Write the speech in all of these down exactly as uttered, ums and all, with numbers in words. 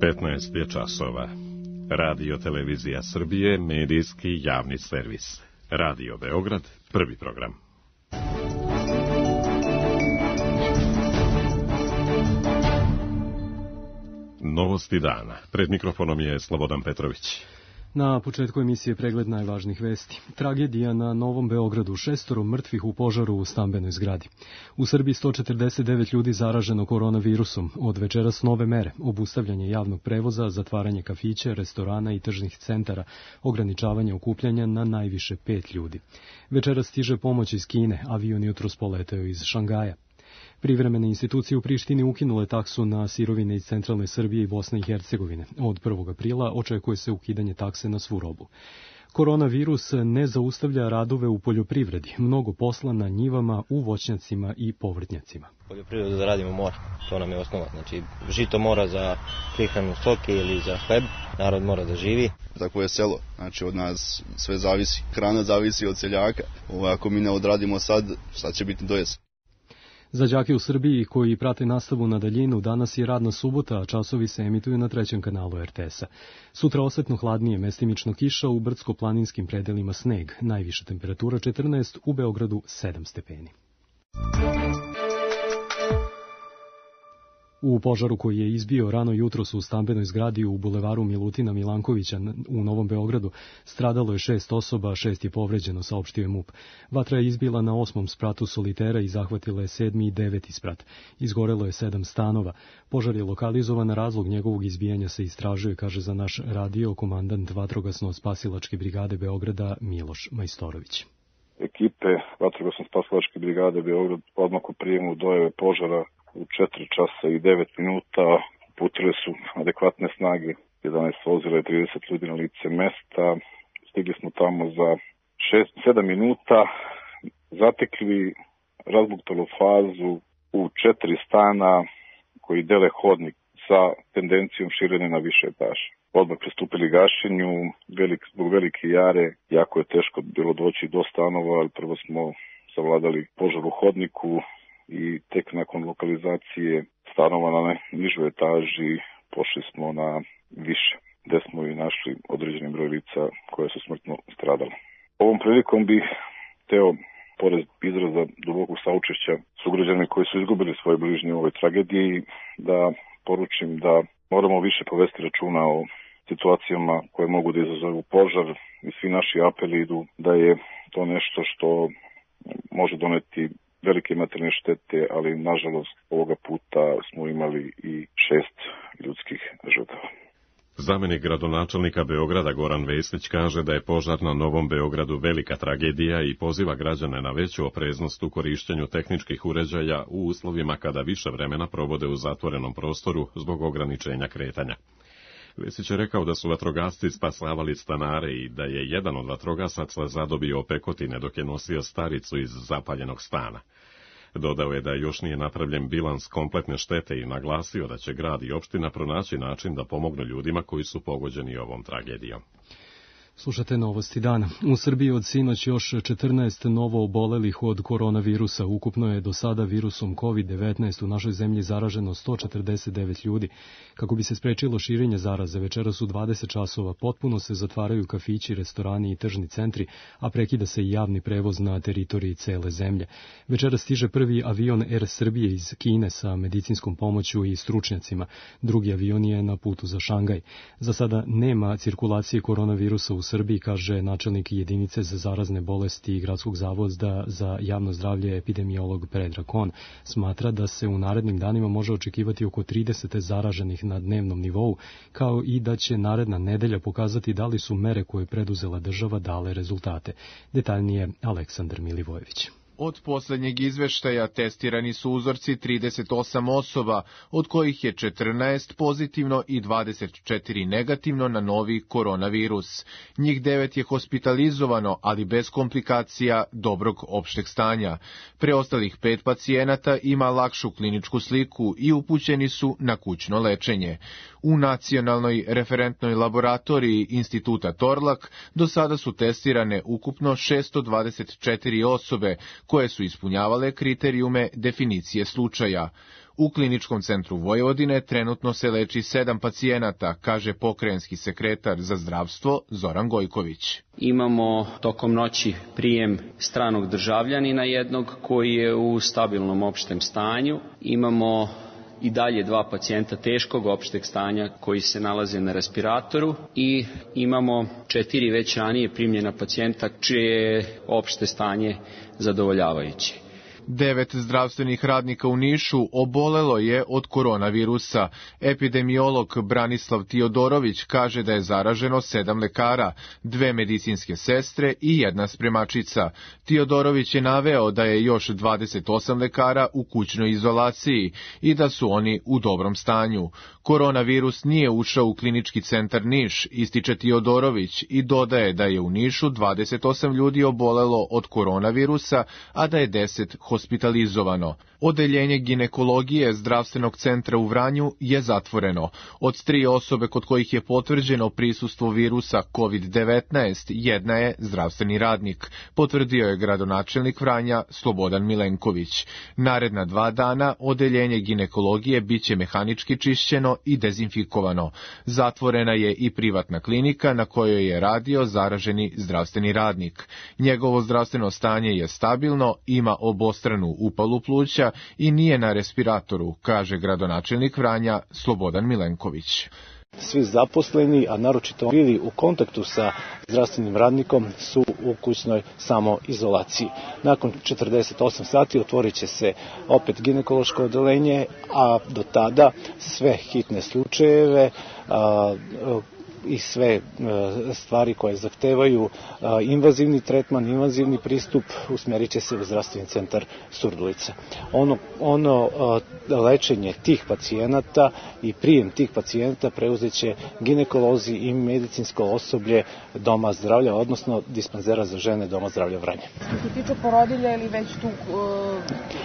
petnaest je časova. Radio Televizija Srbije, medijski javni servis. Radio Beograd, prvi program. Novosti dana. Pred mikrofonom je Slobodan Petrović. Na početku emisije pregled najvažnijih vesti. Tragedija na Novom Beogradu, šestoro mrtvih u požaru u stambenoj zgradi. U Srbiji sto četrdeset devet ljudi zaraženo koronavirusom. Od večeras nove mere, obustavljanje javnog prevoza, zatvaranje kafića, restorana i tržnih centara, ograničavanje okupljanja na najviše pet ljudi. Večeras stiže pomoć iz Kine, avion jutros poleteo iz Šangaja. Privremene institucije u Prištini ukinule taksu na sirovine iz centralne Srbije i Bosne i Hercegovine. Od prvog aprila očekuje se ukidanje takse na svu robu. Koronavirus ne zaustavlja radove u poljoprivredi. Mnogo posla na njivama, u voćnjacima i povrtnjacima. Poljoprivredu da radimo mora, to nam je osnova. Znači, žito mora za prihranu stoke ili za hleb, narod mora da živi. Tako je selo, znači od nas sve zavisi. Hrana zavisi od seljaka. Ovo, ako mi ne odradimo sad, sad će biti do jesen. Za đake u Srbiji koji prate nastavu na daljinu, danas je radna subota, a časovi se emituju na trećem kanalu er te esa. Sutra osetno hladnije, mestimično kiša, u brdsko-planinskim predelima sneg. Najviša temperatura četrnaest, u Beogradu sedam stepeni. U požaru koji je izbio rano jutros u stambenoj zgradi u bulevaru Milutina Milankovića u Novom Beogradu stradalo je šest osoba, šest je povređeno, saopštio je MUP. Vatra je izbila na osmom spratu solitera i zahvatila je sedmi i deveti sprat. Izgorelo je sedam stanova. Požar je lokalizovan, razlog njegovog izbijanja se istražuje, kaže za naš radio komandant Vatrogasno-spasilačke brigade Beograda Miloš Majstorović. Ekipe Vatrogasno-spasilačke brigade Beograd odmah u prijemu dojave požara u četiri časa i devet minuta uputile su adekvatne snage, jedanaest vozila i trideset ljudi na lice mesta. Stigli smo tamo za šest sedam minuta, zatekli razbuktalu fazu u četiri stana koji dele hodnik sa tendencijom širenja na više etaže. Odmah pristupili gašenju, velik, zbog velike jare, jako je teško bilo doći do stanova, ali prvo smo savladali požar u hodniku i tek nakon lokalizacije stanova na nižoj etaži pošli smo na više, gde smo i našli određeni broj lica koje su smrtno stradale. Ovom prilikom bih hteo, pored izraza dubokog saučešća sugrađanima koji su izgubili svoje bližnje u ovoj tragediji, da poručim da moramo više povesti računa o situacijama koje mogu da izazovu požar i svi naši apeli idu da je to nešto što može doneti velike materijalne štete, ali nažalost ovoga puta smo imali i šest ljudskih žrtava. Zamenik gradonačelnika Beograda Goran Vesić kaže da je požar na Novom Beogradu velika tragedija i poziva građane na veću opreznost u korišćenju tehničkih uređaja u uslovima kada više vremena provode u zatvorenom prostoru zbog ograničenja kretanja. Vesić je rekao da su vatrogasci spasavali stanare i da je jedan od vatrogasaca zadobio opekotine dok je nosio staricu iz zapaljenog stana. Dodao je da još nije napravljen bilans kompletne štete i naglasio da će grad i opština pronaći način da pomognu ljudima koji su pogođeni ovom tragedijom. Slušate novosti dana. U Srbiji od sinoć još četrnaest novo obolelih od koronavirusa. Ukupno je do sada virusom kovid devetnaest u našoj zemlji zaraženo sto četrdeset devet ljudi. Kako bi se sprečilo širenje zaraze, večeras u dvadeset časova potpuno se zatvaraju kafići, restorani i tržni centri, a prekida se i javni prevoz na teritoriji cele zemlje. Večeras stiže prvi avion Er Srbije iz Kine sa medicinskom pomoću i stručnjacima. Drugi avion je na putu za Šangaj. Za sada nema cirkulacije koronavirusa u U Srbiji, kaže načelnik jedinice za zarazne bolesti Gradskog zavoda za javno zdravlje epidemiolog Predrag Kon. Smatra da se u narednim danima može očekivati oko trideset zaraženih na dnevnom nivou, kao i da će naredna nedelja pokazati da li su mere koje preduzela država dale rezultate. Detaljnije Aleksandar Milivojević. Od posljednjeg izveštaja testirani su uzorci trideset osam osoba, od kojih je četrnaest pozitivno i dvadeset četiri negativno na novi koronavirus. Njih devet je hospitalizovano, ali bez komplikacija dobrog opšteg stanja. Preostalih pet pacijenata ima lakšu kliničku sliku i upućeni su na kućno lečenje. U nacionalnoj referentnoj laboratoriji Instituta Torlak do sada su testirane ukupno šesto dvadeset četiri osobe, koje su ispunjavale kriterijume definicije slučaja. U Kliničkom centru Vojvodine trenutno se leči sedam pacijenata, kaže pokrajinski sekretar za zdravstvo Zoran Gojković. Imamo tokom noći prijem stranog državljanina jednog koji je u stabilnom opštem stanju. Imamo i dalje dva pacijenta teškog opšteg stanja koji se nalaze na respiratoru i imamo četiri već ranije primljena pacijenta čije je opšte stanje zadovoljavajuće. Devet zdravstvenih radnika u Nišu obolelo je od koronavirusa. Epidemiolog Branislav Tiodorović kaže da je zaraženo sedam lekara, dve medicinske sestre i jedna spremačica. Tiodorović je naveo da je još dvadeset osam lekara u kućnoj izolaciji i da su oni u dobrom stanju. Koronavirus nije ušao u Klinički centar Niš, ističe Tiodorović i dodaje da je u Nišu dvadeset osam ljudi obolelo od koronavirusa, a da je deset hospitalizovano. Odeljenje ginekologije zdravstvenog centra u Vranju je zatvoreno. Od tri osobe kod kojih je potvrđeno prisustvo virusa kovid devetnaest, jedna je zdravstveni radnik, potvrdio je gradonačelnik Vranja Slobodan Milenković. Naredna dva dana odeljenje ginekologije biće mehanički čišćeno i dezinfikovano. Zatvorena je i privatna klinika na kojoj je radio zaraženi zdravstveni radnik. Njegovo zdravstveno stanje je stabilno, ima obostranu upalu pluća i nije na respiratoru, kaže gradonačelnik Vranja Slobodan Milenković. Svi zaposleni, a naročito bili u kontaktu sa zdravstvenim radnikom, su u kućnoj samoizolaciji. Nakon četrdeset osam sati otvorit će se opet ginekološko odeljenje, a do tada sve hitne slučajeve a, i sve stvari koje zahtevaju invazivni tretman, invazivni pristup usmjerit će se u zdravstveni centar Surdulica. Ono, ono lečenje tih pacijenata i prijem tih pacijenata preuzet će ginekolozi i medicinsko osoblje Doma zdravlja, odnosno dispanzera za žene Doma zdravlja Vranje. Što se tiče porodilja ili već tu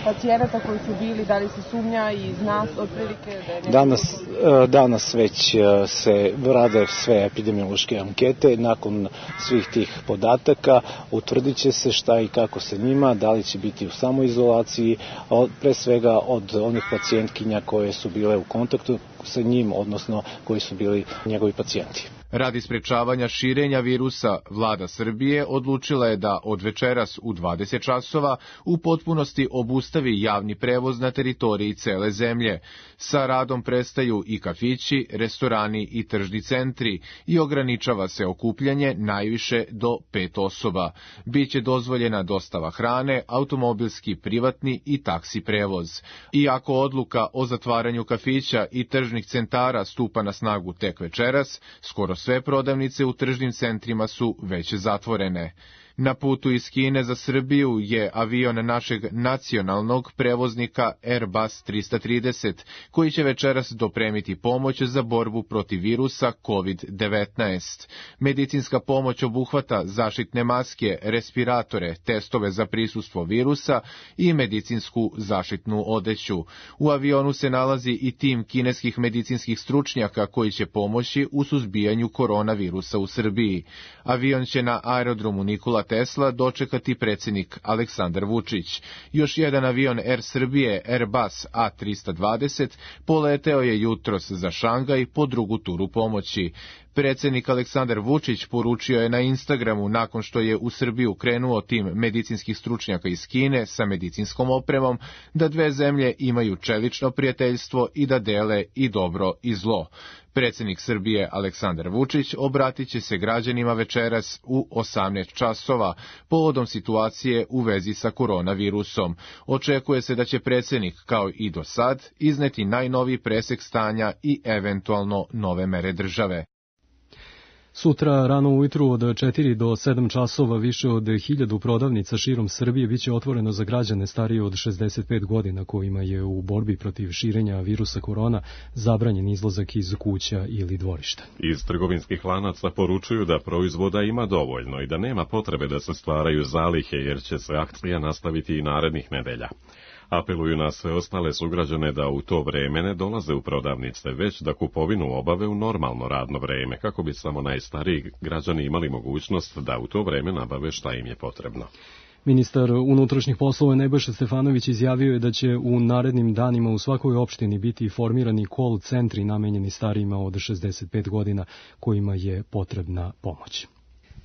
pacijenata koji su bili, da li se sumnja i zna otprilike da je nešto... Danas, danas već se rade sve epidemiološke ankete. Nakon svih tih podataka utvrdit će se šta i kako se njima, da li će biti u samoizolaciji, pre svega od onih pacijentkinja koje su bile u kontaktu sa njim, odnosno koji su bili njegovi pacijenti. Radi sprečavanja širenja virusa, vlada Srbije odlučila je da od večeras u dvadeset časova u potpunosti obustavi javni prevoz na teritoriji cele zemlje. Sa radom prestaju i kafići, restorani i tržni centri i ograničava se okupljanje najviše do pet osoba. Biće dozvoljena dostava hrane, automobilski, privatni i taksi prevoz. Iako odluka o zatvaranju kafića i tržnih centara stupa na snagu tek večeras, skoro sve prodavnice u tržnim centrima su već zatvorene. Na putu iz Kine za Srbiju je avion našeg nacionalnog prevoznika Airbus trista trideset, koji će večeras dopremiti pomoć za borbu protiv virusa kovid devetnaest. Medicinska pomoć obuhvata zaštitne maske, respiratore, testove za prisustvo virusa i medicinsku zaštitnu odeću. U avionu se nalazi i tim kineskih medicinskih stručnjaka koji će pomoći u suzbijanju koronavirusa u Srbiji. Avion će na aerodromu Nikola Tesla dočekati predsjednik Aleksandar Vučić. Još jedan avion Air Srbije Airbus A trista dvadeset poleteo je jutros za Šangaj po drugu turu pomoći. Predsjednik Aleksandar Vučić poručio je na Instagramu nakon što je u Srbiju krenuo tim medicinskih stručnjaka iz Kine sa medicinskom opremom da dve zemlje imaju čelično prijateljstvo i da dele i dobro i zlo. Predsjednik Srbije Aleksandar Vučić obratit će se građanima večeras u osamnaest časova povodom situacije u vezi sa koronavirusom. Očekuje se da će predsjednik, kao i do sad, izneti najnoviji presek stanja i eventualno nove mere države. Sutra rano ujutru od četiri do sedam časova više od hiljadu prodavnica širom Srbije biće otvoreno za građane starije od šezdeset pet godina kojima je u borbi protiv širenja virusa korona zabranjen izlazak iz kuća ili dvorišta. Iz trgovinskih lanaca poručuju da proizvoda ima dovoljno i da nema potrebe da se stvaraju zalihe jer će se akcija nastaviti i narednih nedelja. Apeluju na sve ostale sugrađane da u to vreme ne dolaze u prodavnice, već da kupovinu obave u normalno radno vreme, kako bi samo najstariji građani imali mogućnost da u to vreme nabave šta im je potrebno. Ministar unutrašnjih poslova Nebojša Stefanović izjavio je da će u narednim danima u svakoj opštini biti formirani call centri namenjeni starijima od šezdeset pet godina kojima je potrebna pomoć.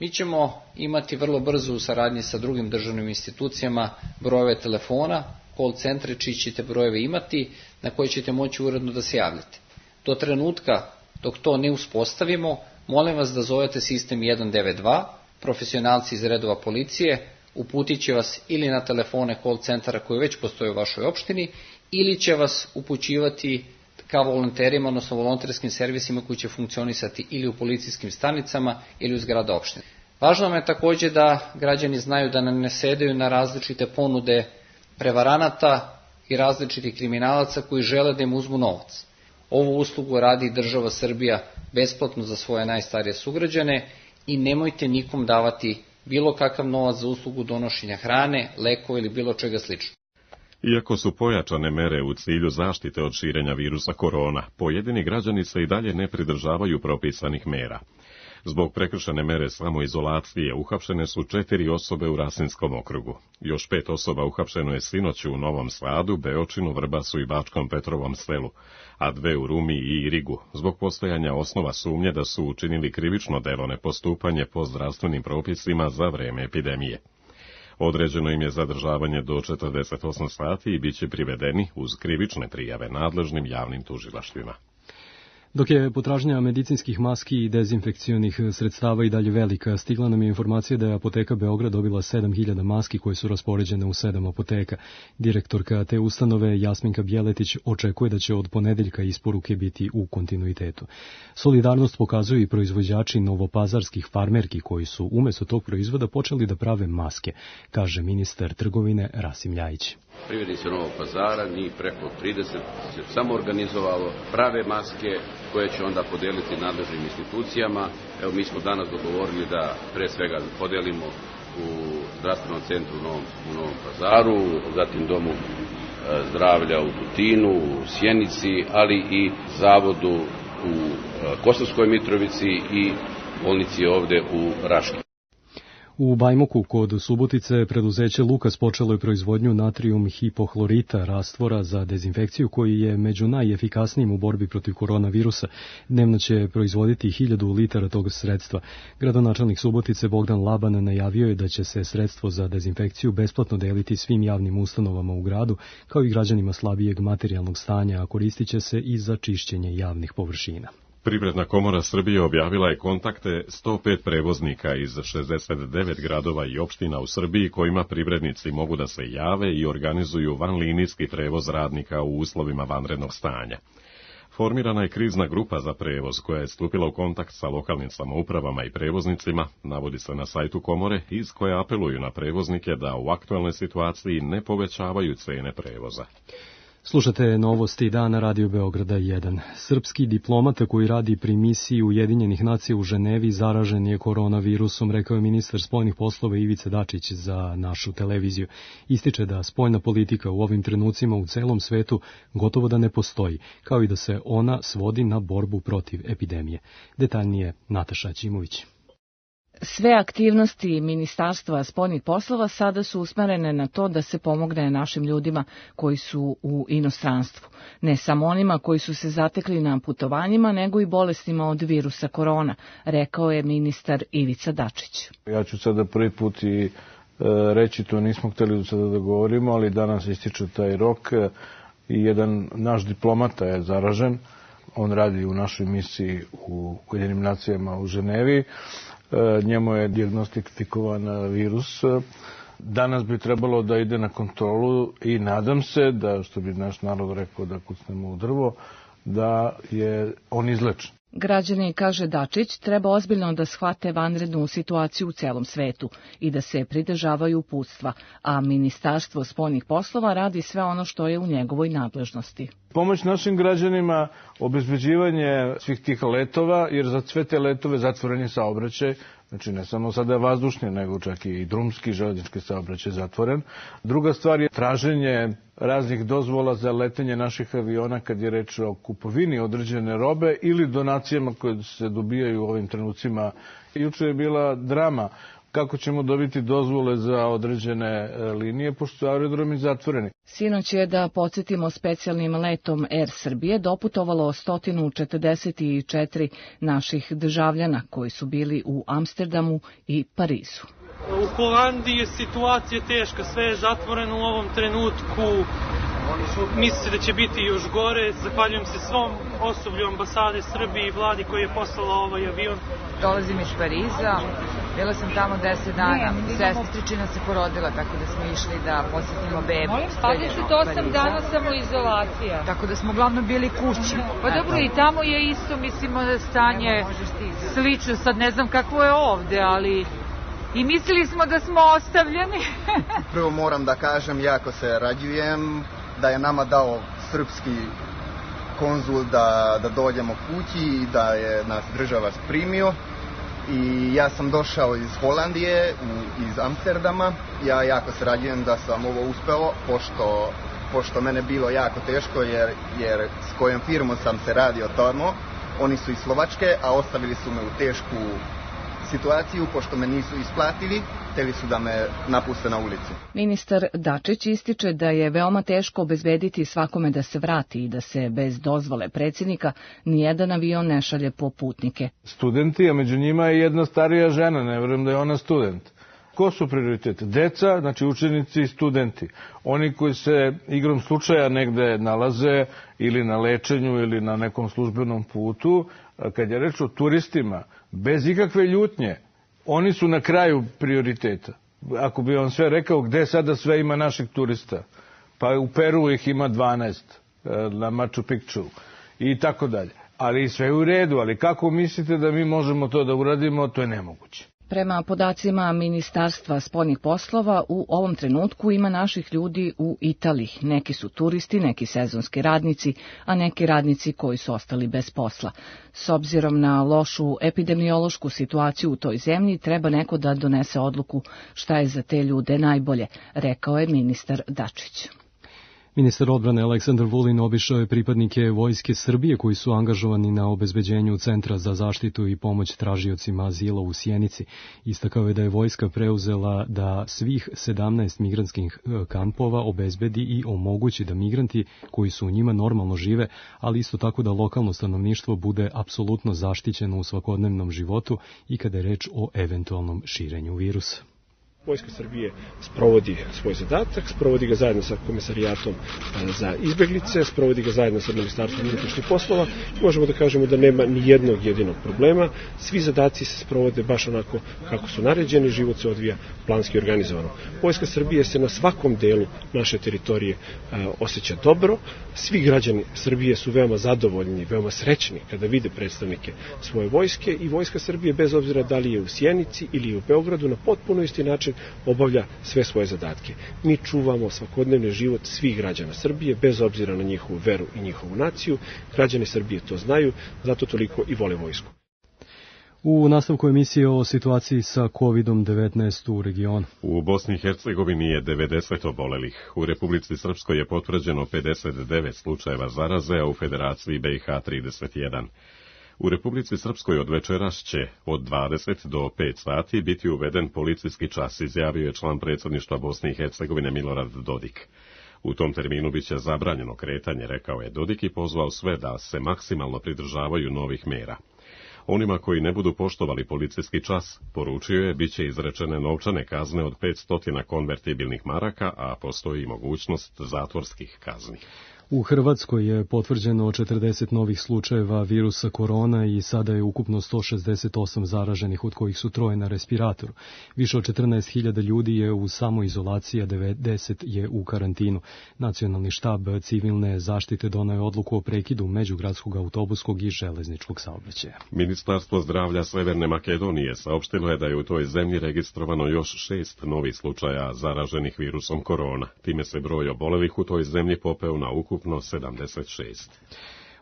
Mi ćemo imati vrlo brzo u saradnji sa drugim državnim institucijama brojeve telefona, call centre čiji ćete brojeve imati, na koje ćete moći uredno da se javljate. Do trenutka dok to ne uspostavimo, molim vas da zovete sistem jedan devet dva, profesionalci iz redova policije uputit će vas ili na telefone call centara koji već postoje u vašoj opštini, ili će vas upućivati kao volonterima, odnosno volonterskim servisima koji će funkcionisati ili u policijskim stanicama ili u zgrada opštine. Važno nam je također da građani znaju da nam ne sedaju na različite ponude prevaranata i različitih kriminalaca koji žele da im uzmu novac. Ovu uslugu radi država Srbija besplatno za svoje najstarije sugrađane i nemojte nikom davati bilo kakav novac za uslugu donošenja hrane, lekova ili bilo čega slično. Iako su pojačane mere u cilju zaštite od širenja virusa korona, pojedini građani se i dalje ne pridržavaju propisanih mera. Zbog prekršene mere samoizolacije uhapšene su četiri osobe u Rasinskom okrugu. Još pet osoba uhapšeno je sinoć u Novom Sadu, Beočinu, Vrbasu i Bačkom Petrovom selu, a dve u Rumi i Irigu, zbog postojanja osnova sumnje da su učinili krivično delo nepostupanje po zdravstvenim propisima za vreme epidemije. Određeno im je zadržavanje do četrdeset osam sati i bit će privedeni uz krivične prijave nadležnim javnim tužilaštvima. Dok je potražnja medicinskih maski i dezinfekcionih sredstava i dalje velika, stigla nam je informacija da je Apoteka Beograd dobila sedam hiljada maski koje su raspoređene u sedam apoteka. Direktorka te ustanove Jasminka Bjeletić očekuje da će od ponedeljka isporuke biti u kontinuitetu. Solidarnost pokazuju i proizvođači novopazarskih farmerki koji su umjesto tog proizvoda počeli da prave maske, kaže ministar trgovine Rasim Ljajić. Privrednici Novog Pazara, njih preko trideset se samo organizovalo, prave maske koje će onda podeliti nadležnim institucijama. Evo, mi smo danas dogovorili da pre svega podelimo u zdravstvenom centru u Novom, u Novom Pazaru, zatim domu zdravlja u Tutinu, u Sjenici, ali i zavodu u Kosovskoj Mitrovici i bolnici ovde u Raški. U Bajmoku kod Subotice preduzeće Lukas počelo je proizvodnju natrijum hipohlorita, rastvora za dezinfekciju koji je među najefikasnijim u borbi protiv koronavirusa. Dnevno će proizvoditi hiljadu litara tog sredstva. Gradonačelnik Subotice Bogdan Laban najavio je da će se sredstvo za dezinfekciju besplatno deliti svim javnim ustanovama u gradu, kao i građanima slabijeg materijalnog stanja, a koristit će se i za čišćenje javnih površina. Privredna komora Srbije objavila je kontakte sto pet prevoznika iz šezdeset devet gradova i opština u Srbiji kojima privrednici mogu da se jave i organizuju vanlinijski prevoz radnika u uslovima vanrednog stanja. Formirana je krizna grupa za prevoz koja je stupila u kontakt sa lokalnim samoupravama i prevoznicima, navodi se na sajtu komore, iz koje apeluju na prevoznike da u aktualnoj situaciji ne povećavaju cene prevoza. Slušate novosti dana Radio Beograda jedan. Srpski diplomata koji radi pri misiji Ujedinjenih nacija u Ženevi zaražen je koronavirusom, rekao je ministar spoljnih poslova Ivica Dačić za našu televiziju. Ističe da spoljna politika u ovim trenucima u celom svetu gotovo da ne postoji, kao i da se ona svodi na borbu protiv epidemije. Detaljnije Nataša Ćimović. Sve aktivnosti Ministarstva spoljnih poslova sada su usmerene na to da se pomogne našim ljudima koji su u inostranstvu. Ne samo onima koji su se zatekli na putovanjima, nego i bolestima od virusa korona, rekao je ministar Ivica Dačić. Ja ću sada prvi put i e, reći, to nismo hteli do sada da govorimo, ali danas ističe taj rok i jedan naš diplomata je zaražen. On radi u našoj misiji u Ujedinjenim nacijama u Ženevi. Njemu je dijagnostikovan virus. Danas bi trebalo da ide na kontrolu i nadam se da, što bi naš narod rekao, da kucnemo u drvo, da je on izlečen. Građani, kaže Dačić, treba ozbiljno da shvate vanrednu situaciju u celom svetu i da se pridržavaju uputstva, a Ministarstvo spoljnih poslova radi sve ono što je u njegovoj nadležnosti. Pomoć našim građanima, obezbeđivanje svih tih letova, jer za sve te letove zatvoren je saobraćaj, znači ne samo sada vazdušni, nego čak i drumski, železnički saobraćaj zatvoren. Druga stvar je traženje raznih dozvola za letenje naših aviona kad je reč o kupovini određene robe ili donacijama koje se dobijaju u ovim trenucima. Juče je bila drama kako ćemo dobiti dozvole za određene linije, pošto su aerodromi zatvoreni. Sinoć je, da podsjetimo, specijalnim letom Air Srbije doputovalo sto četrdeset četiri naših državljana koji su bili u Amsterdamu i Parizu. U Holandiji je situacija teška, sve je zatvoreno u ovom trenutku. Misli se da će biti još gore. Zahvaljujem se svom osoblju ambasade Srbije i vladi koji je poslala ovaj avion. Dolazim iz Pariza, bila sam tamo deset dana. Sestričina se porodila, tako da smo išli da posjetimo bebu. dvadeset osam dana samoizolacija. Tako da smo uglavnom bili kući. Pa dobro, i tamo je isto, mislimo da stanje slično. Sad ne znam kako je ovde, ali... I mislili smo da smo ostavljeni. Prvo moram da kažem, jako se radujem da je nama dao srpski konzul da, da dođemo kući i da je nas država primio. I ja sam došao iz Holandije, iz Amsterdama. Ja jako se radujem da sam ovo uspelo, pošto, pošto mene bilo jako teško, jer, jer s kojom firmom sam se radio tamo. Oni su iz Slovačke, a ostavili su me u tešku situaciju, pošto me nisu isplatili, hteli su da me napuste na ulicu. Ministar Dačić ističe da je veoma teško obezbediti svakome da se vrati i da se bez dozvole predsjednika nijedan avion ne šalje po putnike. Studenti, a među njima je jedna starija žena, ne verujem da je ona student. Ko su prioriteti? Deca, znači učenici i studenti. Oni koji se igrom slučaja negde nalaze ili na lečenju ili na nekom službenom putu. Kad je reč o turistima, bez ikakve ljutnje, oni su na kraju prioriteta. Ako bi on sve rekao gde sada sve ima naših turista, pa u Peru ih ima dvanaest, na Machu Picchu i tako dalje. Ali sve je u redu, ali kako mislite da mi možemo to da uradimo, to je nemoguće. Prema podacima Ministarstva spoljnih poslova, u ovom trenutku ima naših ljudi u Italiji. Neki su turisti, neki sezonski radnici, a neki radnici koji su ostali bez posla. S obzirom na lošu epidemiološku situaciju u toj zemlji, treba neko da donese odluku šta je za te ljude najbolje, rekao je ministar Dačić. Ministar odbrane Aleksandar Vulin obišao je pripadnike Vojske Srbije koji su angažovani na obezbeđenju Centra za zaštitu i pomoć tražiocima azila u Sjenici. Istakao je da je vojska preuzela da svih sedamnaest migrantskih kampova obezbedi i omogući da migranti koji su u njima normalno žive, ali isto tako da lokalno stanovništvo bude apsolutno zaštićeno u svakodnevnom životu i kada je reč o eventualnom širenju virusa. Vojska Srbije sprovodi svoj zadatak, sprovodi ga zajedno sa Komisarijatom za izbeglice, sprovodi ga zajedno sa Ministarstvom unutrašnjih poslova. Možemo da kažemo da nema ni jednog jedinog problema. Svi zadaci se sprovode baš onako kako su naređeni, život se odvija planski organizovano. Vojska Srbije se na svakom delu naše teritorije osjeća dobro. Svi građani Srbije su veoma zadovoljni, veoma srećni kada vide predstavnike svoje vojske i Vojska Srbije, bez obzira da li je u Sjenici ili u Beogradu, na potpuno isti način obavlja sve svoje zadatke. Mi čuvamo svakodnevni život svih građana Srbije, bez obzira na njihovu veru i njihovu naciju. Građani Srbije to znaju, zato toliko i vole vojsku. U nastavku emisije o situaciji sa kovid devetnaest u regionu. U Bosni i Hercegovini je devedeset obolelih. U Republici Srpskoj je potvrđeno pedeset devet slučajeva zaraze, a u Federaciji B i H trideset jedan. U Republici Srpskoj od večeras će od dvadeset do pet sati biti uveden policijski čas, izjavio je član predsjedništva Bosne i Hercegovine Milorad Dodik. U tom terminu biće zabranjeno kretanje, rekao je Dodik i pozvao sve da se maksimalno pridržavaju novih mera. Onima koji ne budu poštovali policijski čas, poručio je, biće izrečene novčane kazne od petsto konvertibilnih maraka, a postoji mogućnost zatvorskih kazni. U Hrvatskoj je potvrđeno četrdeset novih slučajeva virusa korona i sada je ukupno sto šezdeset osam zaraženih, od kojih su troje na respiratoru. Više od četrnaest hiljada ljudi je u samoizolaciji, a devedeset je u karantinu. Nacionalni štab civilne zaštite doneo je odluku o prekidu međugradskog autobuskog i železničkog saobraćaja. Ministarstvo zdravlja Severne Makedonije saopštilo je da je u toj zemlji registrovano još šest novih slučaja zaraženih virusom korona. Time se broj obolelih u toj zemlji popeo na ukupno sedamdeset šest.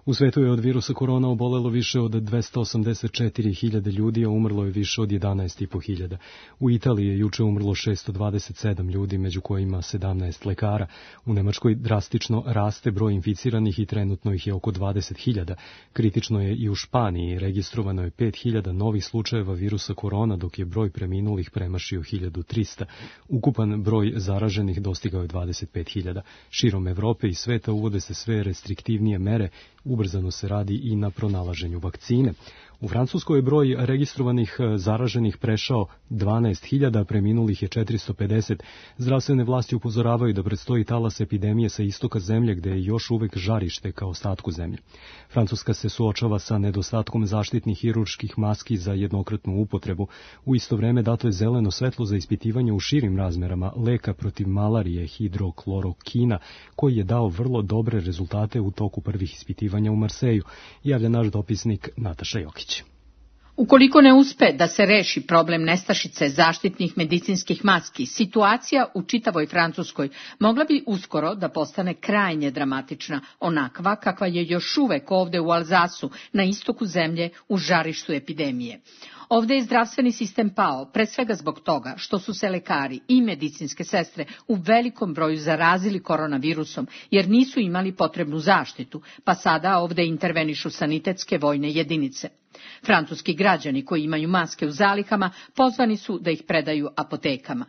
U svetu je od virusa korona obolelo više od dvesta osamdeset četiri hiljade ljudi, a umrlo je više od jedanaest i po hiljada. U Italiji je juče umrlo šesto dvadeset sedam ljudi, među kojima sedamnaest lekara. U Nemačkoj drastično raste broj inficiranih i trenutno ih je oko dvadeset hiljada. Kritično je i u Španiji, registrovano je pet hiljada novih slučajeva virusa korona, dok je broj preminulih premašio hiljadu trista. Ukupan broj zaraženih dostigao je dvadeset pet hiljada. Širom Evrope i sveta uvode se sve restriktivnije mere, ubrzano se radi i na pronalaženju vakcine. U Francuskoj je broj registrovanih zaraženih prešao dvanaest hiljada, preminulih je četiristo pedeset. Zdravstvene vlasti upozoravaju da predstoji talas epidemije sa istoka zemlje, gde je još uvek žarište kao ostatku zemlje. Francuska se suočava sa nedostatkom zaštitnih hirurških maski za jednokratnu upotrebu. U isto vreme dato je zeleno svetlo za ispitivanje u širim razmerama leka protiv malarije hidroklorokina, koji je dao vrlo dobre rezultate u toku prvih ispitivanja u Marseju, javlja naš dopisnik Nataša Jokić. Ukoliko ne uspe da se reši problem nestašice zaštitnih medicinskih maski, situacija u čitavoj Francuskoj mogla bi uskoro da postane krajnje dramatična, onakva kakva je još uvek ovde u Alzasu, na istoku zemlje, u žarištu epidemije. Ovde je zdravstveni sistem pao, pre svega zbog toga što su se lekari i medicinske sestre u velikom broju zarazili koronavirusom, jer nisu imali potrebnu zaštitu, pa sada ovde intervenišu sanitetske vojne jedinice. Francuski građani koji imaju maske u zalihama pozvani su da ih predaju apotekama.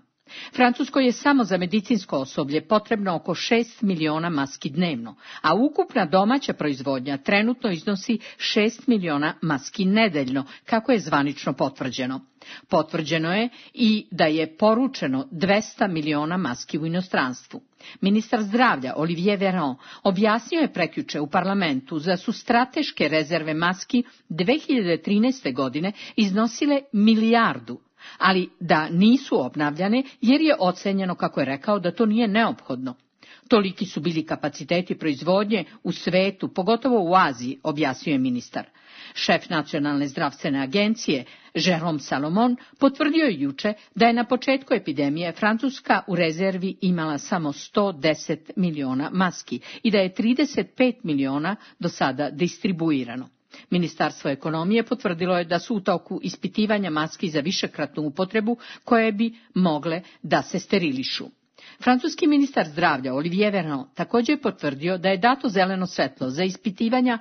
Francuskoj je samo za medicinsko osoblje potrebno oko šest miliona maski dnevno, a ukupna domaća proizvodnja trenutno iznosi šest miliona maski nedeljno, kako je zvanično potvrđeno. Potvrđeno je i da je poručeno dvesta miliona maski u inostranstvu. Ministar zdravlja Olivier Véran objasnio je prekjuče u parlamentu da su strateške rezerve maski dve hiljade trinaeste. godine iznosile milijardu, ali da nisu obnavljane jer je ocenjeno, kako je rekao, da to nije neophodno. Toliki su bili kapaciteti proizvodnje u svetu, pogotovo u Aziji, objasnio je ministar. Šef Nacionalne zdravstvene agencije, Jérôme Salomon, potvrdio je juče da je na početku epidemije Francuska u rezervi imala samo sto deset miliona maski i da je trideset pet miliona do sada distribuirano. Ministarstvo ekonomije potvrdilo je da su u toku ispitivanja maski za višekratnu upotrebu koje bi mogle da se sterilišu. Francuski ministar zdravlja Olivier Véran također je potvrdio da je dato zeleno svetlo za ispitivanja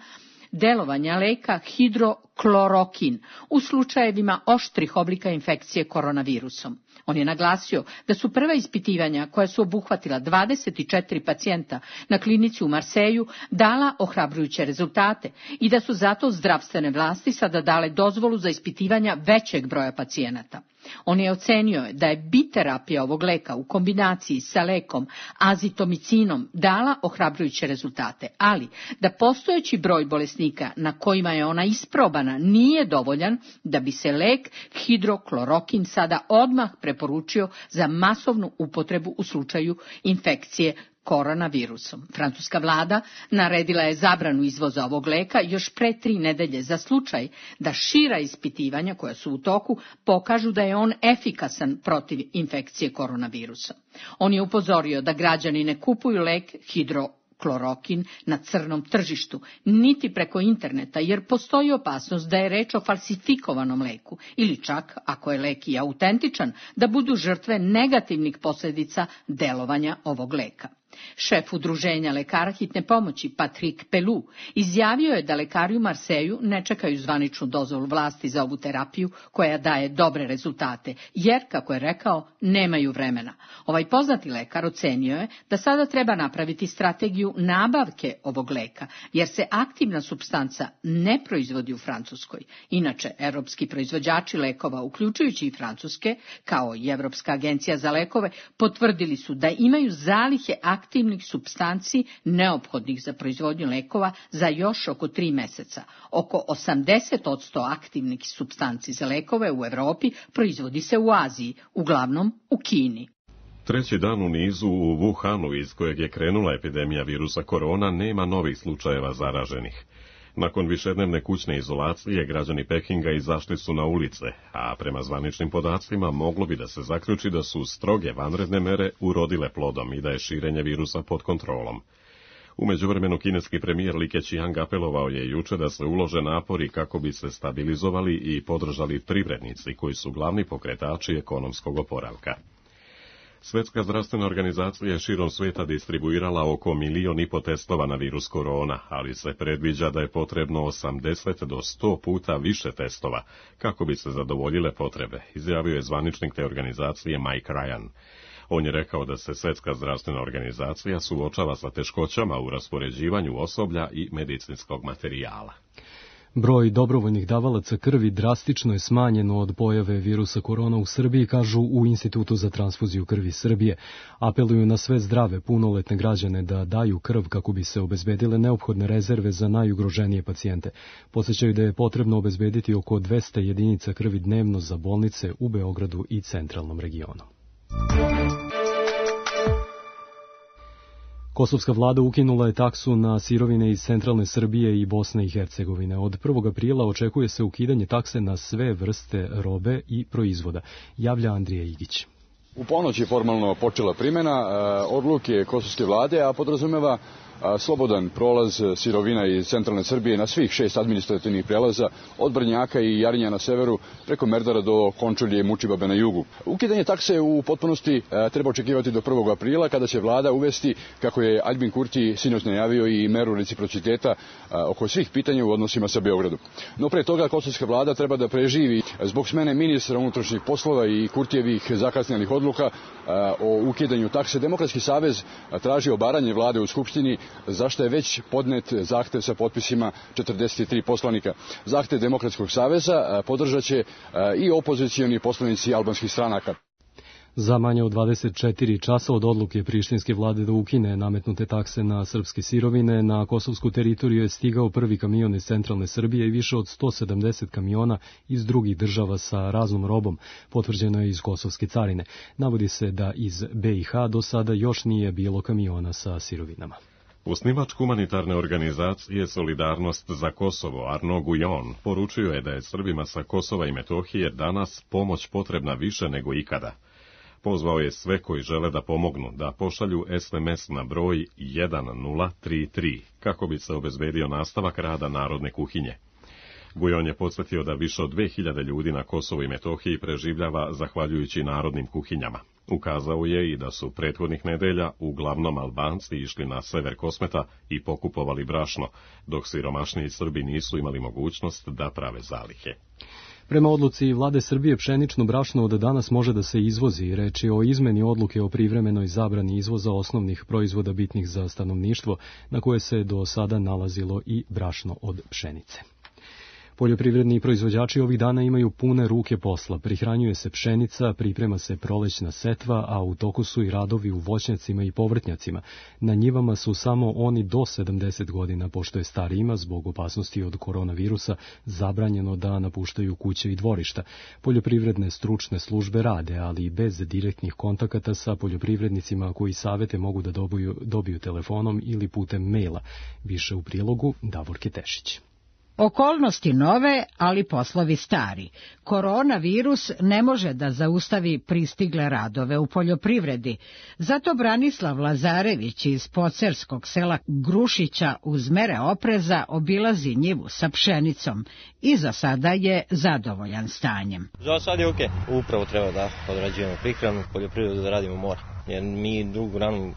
delovanja leka hidroklorokin u slučajevima oštrih oblika infekcije koronavirusom. On je naglasio da su prva ispitivanja koja su obuhvatila dvadeset četiri pacijenta na klinici u Marseju dala ohrabrujuće rezultate i da su zato zdravstvene vlasti sada dale dozvolu za ispitivanja većeg broja pacijenata. On je ocenio da je biterapija ovog leka u kombinaciji sa lekom azitomicinom dala ohrabrujuće rezultate, ali da postojeći broj bolesnika na kojima je ona isprobana nije dovoljan da bi se lek hidroklorokin sada odmah preporučio za masovnu upotrebu u slučaju infekcije koronavirusom. Francuska vlada naredila je zabranu izvoza ovog leka još pre tri nedelje za slučaj da šira ispitivanja koja su u toku pokažu da je on efikasan protiv infekcije koronavirusa. On je upozorio da građani ne kupuju lek hidroklorokin na crnom tržištu, niti preko interneta, jer postoji opasnost da je reč o falsifikovanom leku ili čak, ako je lek i autentičan, da budu žrtve negativnih posljedica delovanja ovog leka. Šef udruženja lekara hitne pomoći Patrick Pelou izjavio je da lekari u Marseju ne čekaju zvaničnu dozvolu vlasti za ovu terapiju koja daje dobre rezultate, jer, kako je rekao, nemaju vremena. Ovaj poznati lekar ocenio je da sada treba napraviti strategiju nabavke ovog leka, jer se aktivna supstanca ne proizvodi u Francuskoj. Inače, evropski proizvođači lekova, uključujući i francuske, kao i Evropska agencija za lekove, potvrdili su da imaju zalihe aktivnih aktivnih supstanci neophodnih za proizvodnju lekova za još oko tri meseca. Oko osamdeset posto aktivnih supstanci za lekove u Evropi proizvodi se u Aziji, uglavnom u Kini. Treći dan u nizu u Wuhanu, iz kojeg je krenula epidemija virusa korona, nema novih slučajeva zaraženih. Nakon višednevne kućne izolacije, građani Pekinga izašli su na ulice, a prema zvaničnim podacima moglo bi da se zaključi da su stroge vanredne mere urodile plodom i da je širenje virusa pod kontrolom. U međuvremenu kineski premijer Li Keqiang apelovao je juče da se ulože napori kako bi se stabilizovali i podržali privrednici koji su glavni pokretači ekonomskog oporavka. Svjetska zdravstvena organizacija je širom svijeta distribuirala oko milion i po testova na virus korona, ali se predviđa da je potrebno osamdeset do sto puta više testova kako bi se zadovoljile potrebe, izjavio je zvaničnik te organizacije Mike Ryan. On je rekao da se Svjetska zdravstvena organizacija suočava sa teškoćama u raspoređivanju osoblja i medicinskog materijala. Broj dobrovoljnih davalaca krvi drastično je smanjen od pojave virusa korona u Srbiji, kažu u Institutu za transfuziju krvi Srbije. Apeluju na sve zdrave, punoletne građane da daju krv kako bi se obezbedile neophodne rezerve za najugroženije pacijente. Podsećaju da je potrebno obezbediti oko dvesta jedinica krvi dnevno za bolnice u Beogradu i centralnom regionu. Kosovska vlada ukinula je taksu na sirovine iz centralne Srbije i Bosne i Hercegovine. Od prvog aprila očekuje se ukidanje takse na sve vrste robe i proizvoda, javlja Andrija Igić. U ponoć je formalno počela primjena odluke kosovske vlade, a podrazumeva slobodan prolaz sirovina iz centralne Srbije na svih šest administrativnih prelaza od Brnjaka i Jarinja na severu preko Merdara do Končulje i Mučibabe na jugu. Ukidanje takse u potpunosti treba očekivati do prvog aprila kada će vlada uvesti, kako je Aljbin Kurti sinoć najavio, i meru reciprociteta oko svih pitanja u odnosima sa Beogradom. No pre toga kosovska vlada treba da preživi zbog smene ministra unutrašnjih poslova i Kurtijevih zakasnjelih odluka o ukidanju takse. Demokratski savez traži obaranje vlade u Skupštini, zašto je već podnet zahtev sa potpisima četrdeset tri poslanika. Zahtev Demokratskog saveza podržat će i opozicioni poslanici albanskih stranaka. Za manje od dvadeset četiri časa od odluke prištinske vlade da ukine nametnute takse na srpske sirovine, na kosovsku teritoriju je stigao prvi kamion iz centralne Srbije i više od sto sedamdeset kamiona iz drugih država sa raznom robom, potvrđeno je iz kosovske carine. Navodi se da iz B i H do sada još nije bilo kamiona sa sirovinama. Osnivač humanitarne organizacije Solidarnost za Kosovo, Arnaud Guillon, poručio je da je Srbima sa Kosova i Metohije danas pomoć potrebna više nego ikada. Pozvao je sve koji žele da pomognu da pošalju es em es na broj jedan nula tri tri kako bi se obezbedio nastavak rada narodne kuhinje. Gujon je podsjetio da više od dve hiljade ljudi na Kosovu i Metohiji preživljava zahvaljujući narodnim kuhinjama. Ukazao je i da su prethodnih nedelja uglavnom Albanci išli na sever Kosmeta i pokupovali brašno, dok siromašniji Srbi nisu imali mogućnost da prave zalihe. Prema odluci vlade Srbije pšenično brašno od danas može da se izvozi. Reč je o izmeni odluke o privremenoj zabrani izvoza osnovnih proizvoda bitnih za stanovništvo, na koje se do sada nalazilo i brašno od pšenice. Poljoprivredni proizvođači ovih dana imaju pune ruke posla. Prihranjuje se pšenica, priprema se prolećna setva, a u toku su i radovi u voćnjacima i povrtnjacima. Na njivama su samo oni do sedamdeset godina, pošto je starijima zbog opasnosti od koronavirusa zabranjeno da napuštaju kuće i dvorišta. Poljoprivredne stručne službe rade, ali i bez direktnih kontakata sa poljoprivrednicima koji savete mogu da dobiju, dobiju telefonom ili putem maila. Više u prilogu Davorke Tešić. Okolnosti nove, ali poslovi stari. Koronavirus ne može da zaustavi pristigle radove u poljoprivredi. Zato Branislav Lazarević iz pocerskog sela Grušića uz mere opreza obilazi njivu sa pšenicom i za sada je zadovoljan stanjem. Za sad je okej. Okay. Upravo treba da odrađujemo prihranu, poljoprivredu da radimo mora. Jer mi drugu granu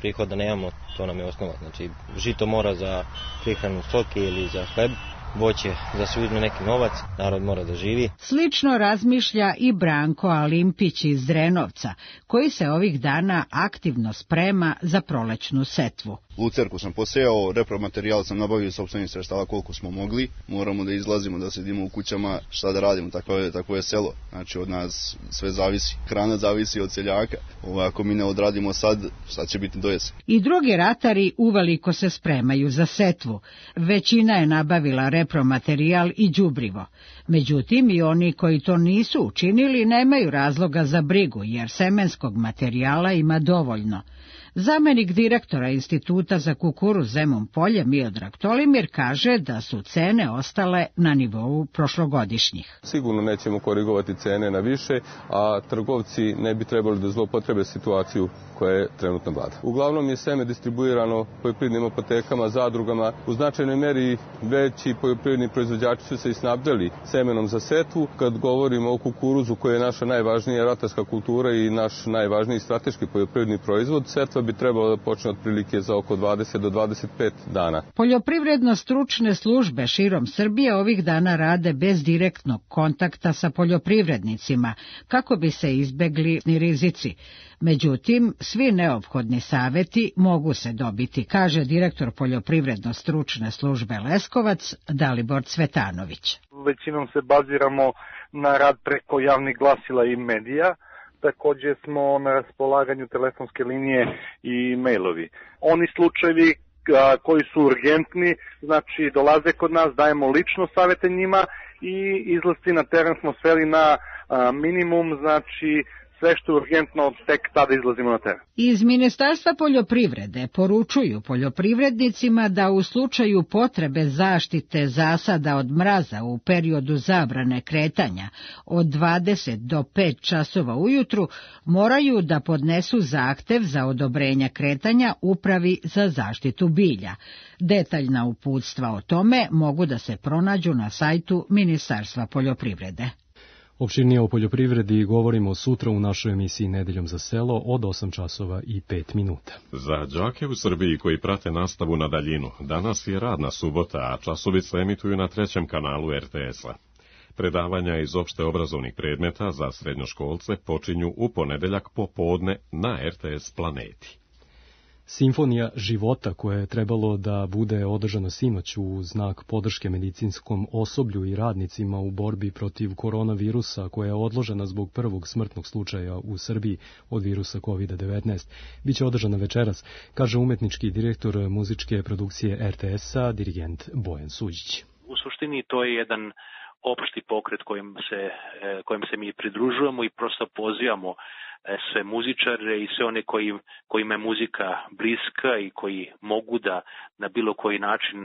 prihoda nemamo, to nam je osnova. Znači, žito mora za prihranu stoke ili za hleb, voće da se uzme neki novac, narod mora da živi. Slično razmišlja i Branko Alimpić iz Drenovca, koji se ovih dana aktivno sprema za prolećnu setvu. Lucerku sam posejao, repromaterijal sam nabavio sopstvenih sredstava koliko smo mogli. Moramo da izlazimo, da sedimo u kućama, šta da radimo, tako je, tako je selo. Znači od nas sve zavisi. Hrana zavisi od seljaka. Ovo, ako mi ne odradimo sad, šta će biti do jesen. I drugi ratari uveliko se spremaju za setvu. Većina je nabavila repromaterijal i đubrivo. Međutim, i oni koji to nisu učinili nemaju razloga za brigu, jer semenskog materijala ima dovoljno. Zamenik direktora Instituta za kukuruz Zemun Polje Miodrag Tolimir kaže da su cene ostale na nivou prošlogodišnjih. Sigurno nećemo korigovati cene na više, a trgovci ne bi trebali da zloupotrebe situaciju koja je trenutno vlada. Uglavnom je seme distribuirano poljoprivrednim apotekama, zadrugama. U značajnoj meri veći poljoprivredni proizvođači su se i snabdeli semenom za setvu. Kad govorimo o kukuruzu, koja je naša najvažnija ratarska kultura i naš najvažniji strateški poljoprivredni proizvod, setva bi trebalo da počne otprilike za oko dvadeset do dvadeset pet dana. Poljoprivredno-stručne službe širom Srbije ovih dana rade bez direktnog kontakta sa poljoprivrednicima, kako bi se izbegli rizici. Međutim, svi neophodni saveti mogu se dobiti, kaže direktor poljoprivredno-stručne službe Leskovac Dalibor Cvetanović. Većinom se baziramo na rad preko javnih glasila i medija. Također smo na raspolaganju telefonske linije i mailovi. Oni slučajevi koji su urgentni, znači dolaze kod nas, dajemo lično savete njima i izlasci na teren smo sveli na minimum, znači sve što je urgentno, tek tada izlazimo na teren. Iz Ministarstva poljoprivrede poručuju poljoprivrednicima da u slučaju potrebe zaštite zasada od mraza u periodu zabrane kretanja od dvadeset do pet časova ujutru moraju da podnesu zahtev za odobrenje kretanja Upravi za zaštitu bilja. Detaljna uputstva o tome mogu da se pronađu na sajtu Ministarstva poljoprivrede. Opširnije o poljoprivredi govorimo sutra u našoj emisiji Nedeljom za selo od osam časova i pet minuta. Za đake u Srbiji koji prate nastavu na daljinu, danas je radna subota, a časovi se emituju na trećem kanalu er te es-a. Predavanja iz opšte obrazovnih predmeta za srednjoškolce počinju u ponedeljak popodne na er te es Planeti. Simfonija života koja je trebalo da bude održana sinoć u znak podrške medicinskom osoblju i radnicima u borbi protiv koronavirusa koja je odložena zbog prvog smrtnog slučaja u Srbiji od virusa kovid devetnaest, biće održana večeras, kaže umetnički direktor muzičke produkcije er te es-a, dirigent Bojan Suđić. U suštini to je jedan opšti pokret kojim se, kojim se mi pridružujemo i prosto pozivamo sve muzičare i sve one koji, kojima je muzika bliska i koji mogu da na bilo koji način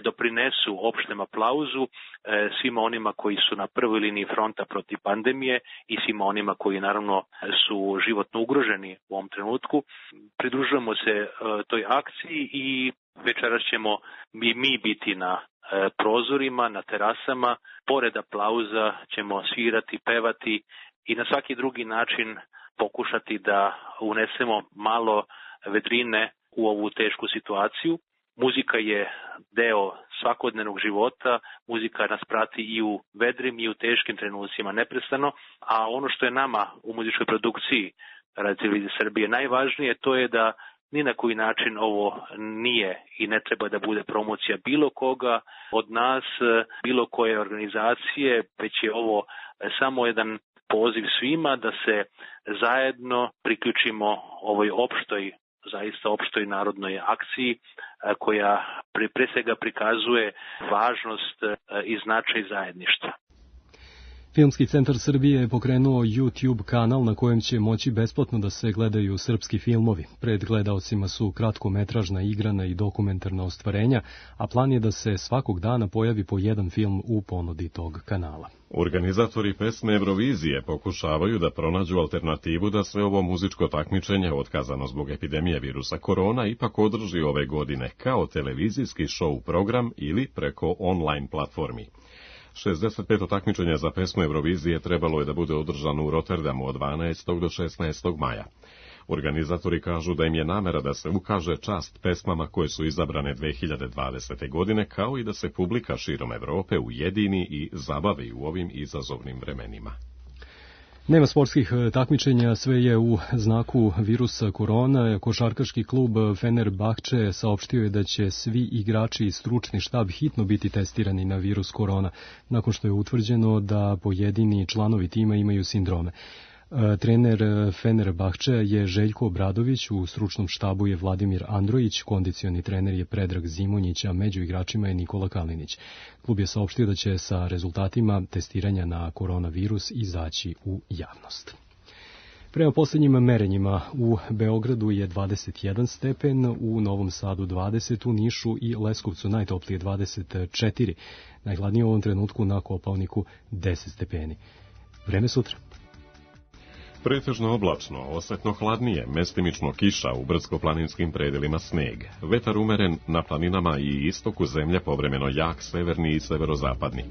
doprinesu opštem aplauzu svima onima koji su na prvoj liniji fronta protiv pandemije i svima onima koji naravno su životno ugroženi u ovom trenutku. Pridružujemo se toj akciji i večeras ćemo i mi biti na prozorima, na terasama. Pored aplauza ćemo svirati, pevati i na svaki drugi način pokušati da unesemo malo vedrine u ovu tešku situaciju. Muzika je deo svakodnevnog života, muzika nas prati i u vedrim i u teškim trenucima neprestano, a ono što je nama u muzičkoj produkciji Radio Televizije Srbije najvažnije, to je da ni na koji način ovo nije i ne treba da bude promocija bilo koga od nas, bilo koje organizacije, već je ovo samo jedan poziv svima da se zajedno priključimo ovoj opštoj, zaista opštoj narodnoj akciji koja pre svega prikazuje važnost i značaj zajedništva. Filmski centar Srbije je pokrenuo YouTube kanal na kojem će moći besplatno da se gledaju srpski filmovi. Pred gledaocima su kratkometražna, igrana i dokumentarna ostvarenja, a plan je da se svakog dana pojavi po jedan film u ponudi tog kanala. Organizatori pesme Eurovizije pokušavaju da pronađu alternativu da se ovo muzičko takmičenje, otkazano zbog epidemije virusa korona, ipak održi ove godine kao televizijski show program ili preko online platformi. šezdeset peto takmičenje za pesmu Eurovizije trebalo je da bude održano u Rotterdamu od dvanaestog do šesnaestog maja. Organizatori kažu da im je namera da se ukaže čast pesmama koje su izabrane dve hiljade dvadesete. godine, kao i da se publika širom Evrope ujedini i zabavi u ovim izazovnim vremenima. Nema sportskih takmičenja, sve je u znaku virusa korona. Košarkaški klub Fenerbahče saopštio je da će svi igrači i stručni štab hitno biti testirani na virus korona, nakon što je utvrđeno da pojedini članovi tima imaju sindrome. Trener Fenerbahče je Željko Obradović, u stručnom štabu je Vladimir Androjić, kondicioni trener je Predrag Zimonjić, a među igračima je Nikola Kalinić. Klub je saopštio da će sa rezultatima testiranja na koronavirus izaći u javnost. Prema posljednjim merenjima u Beogradu je dvadeset jedan stepen, u Novom Sadu dvadeset, u Nišu i Leskovcu najtoplije dvadeset četiri. Najhladnije u ovom trenutku na Kopaoniku deset stepeni. Vreme sutra. Pretežno oblačno, osetno hladnije, mestimično kiša, u brdsko-planinskim predelima sneg. Vetar umeren na planinama i istoku zemlje, povremeno jak severni i severozapadni.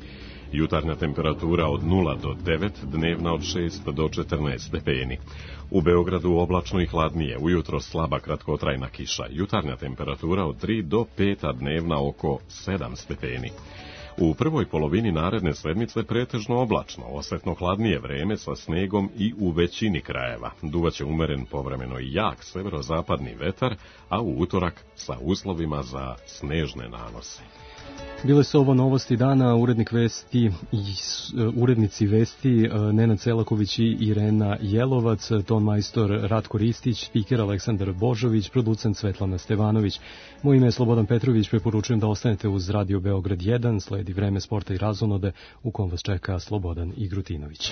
Jutarnja temperatura od nula do devet, dnevna od šest do četrnaest stepeni. U Beogradu oblačno i hladnije, ujutro slaba kratkotrajna kiša. Jutarnja temperatura od tri do pet, a dnevna oko sedam stepeni. U prvoj polovini naredne sedmice pretežno oblačno, osetno hladnije vreme sa snegom i u većini krajeva. Duvaće umeren povremeno i jak severozapadni vetar, a u utorak sa uslovima za snežne nanose. Bile su ovo novosti dana, urednik vesti i urednici vesti Nenad Selaković i Irena Jelovac, ton majstor Ratko Ristić, spiker Aleksandar Božović, producent Svetlana Stevanović. Moje ime je Slobodan Petrović, preporučujem da ostanete uz Radio Beograd jedan, sledi vreme sporta i razonode u kom vas čeka Slobodan Igrutinović.